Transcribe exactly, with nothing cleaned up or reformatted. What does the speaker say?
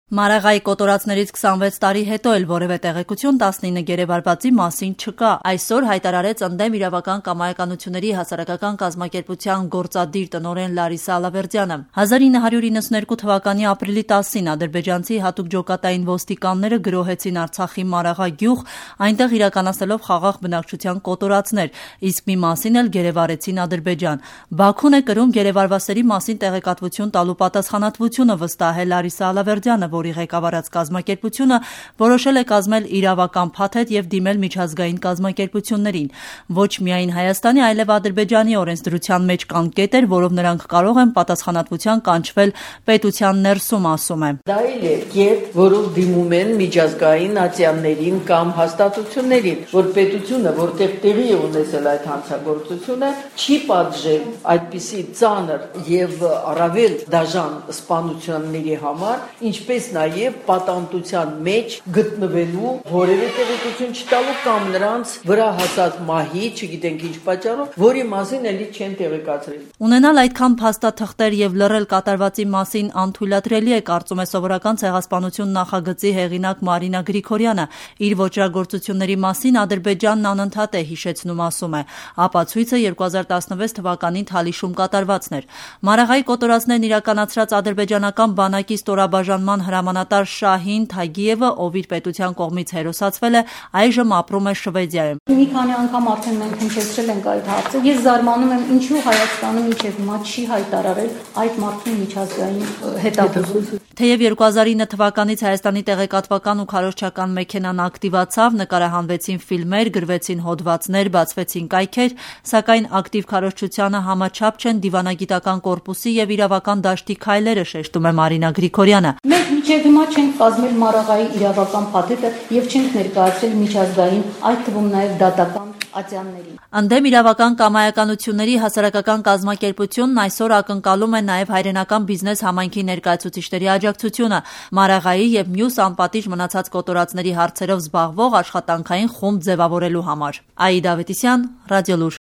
Մարաղայի կոտորածներից քսանվեց տարի հետո էլ որևէ տեղեկություն տասնինը գերեվարվածի մասին չկա։ Այսօր հայտարարեց ընդդեմ իրավական կամայականությունների հասարակական կազմակերպության գործադիր տնօրեն Լարիսա Ալավերդյանը։ հազար ինը հարյուր իննսունհերկու թվականի ապրիլի տասին ադրբեջանցի հատուկ ջոկատային ոստիկանները գրոհեցին Արցախի Մարաղա գյուղ, այնտեղ իրականացնելով խաղաղ բնակչության կոտորածներ, իսկ մի մասին էլ գերեվարեցին Ադրբեջան։ Բաքուն է կրում գերեվարվածների մասին տեղեկատվություն տալու պատասխանատվությունը, վստահել Լարիսա Ալավերդյանը, որի ղեկավարած կազմակերպությունը որոշել է կազմել իրավական փաթեթ եւ դիմել միջազգային կազմակերպություններին։ Ոչ միայն Հայաստանի, այլև Ադրբեջանի օրենսդրության մեջ կան կետեր, որով նրանք կարող են պատասխանատվության կանչվել պետության ներսում, ասում է։ Դա էլ է կետ, որով դիմում են միջազգային ատյաններին կամ հաստատություններին, որ պետությունը, որտեղ տեղի է ունեցել այդ հանցագործությունը, չի պատժել այդպիսի ծանր եւ առավել դաժան սպանությունների համար, ինչպես նաև պատանտության մեջ գտնվելու որևէ տեղեկություն չտալու կամ նրանց վրա հասած մահի, չգիտենք ինչ պատճառով, որի մասին էլի չեն տեղեկացրել։ Ունենալ այդքան փաստաթղթեր եւ լռել կատարվածի մասին անթույլատրելի է, կարծում է Սովորական ցեղասպանություն նախագծի հեղինակ Մարինա Գրիգորյանը։ Իր ոճրագործությունների մասին Ադրբեջանն անընդհատ է հիշեցնում, ասում է։ Ապացույցը երկու հազար տասնվեց թվականին Թալիշում կատարվածն էր։ Մարաղայի կոտորածներն իրականացրած ադրբեջանական բանակի ստորաբաժանման հրամանատար Շահին Թագիևը, ով իր պետության կողմից հերոսացվել է, այժմ ապրում է Շվեդիայում։ Մի քանի անգամ արդեն մենք հնչեցրել ենք այդ հարցը։ Ես զարմանում եմ, ինչու Հայաստանը մինչև հիմա չի հայտարարել այդ մարդու միջազգային հետապնդում։ Թեև երկու հազար ինը թվականից Հայաստանի տեղեկատվական ու քարոզչական մեքենան ակտիվացավ, նկարահանվեցին ֆիլմեր, գրվեցին հոդվածներ, բացվեցին կայքեր, սակայն ակտիվ քարոզչությանը համաչափ չեն դիվանագիտական կորպուսի եւ իրավական դաշտի քայլերը, շեշտում է Մարինա Գրիգորյանը։ Մենք մինչև հիմա չենք կազմել Մարաղայի իրավական փաթեթը եւ չենք ներկայացրել միջազգային, այդ թվում նաեւ դատական ատյաններին։ Ընդդեմ իրավական կամայականությունների հասարակական կազմակերպությունն այսօր ակնկալում է նաև հայրենական բիզնես համայնքի ներկայացուցիչների աջակցությունը Մարաղայի եւ մյուս անպատիժ մնացած կոտորածների հարցերով զբաղվող աշխատանքային խումբ ձևավորելու համար։ Աիդա Ավետիսյան, Ռադիոլուր։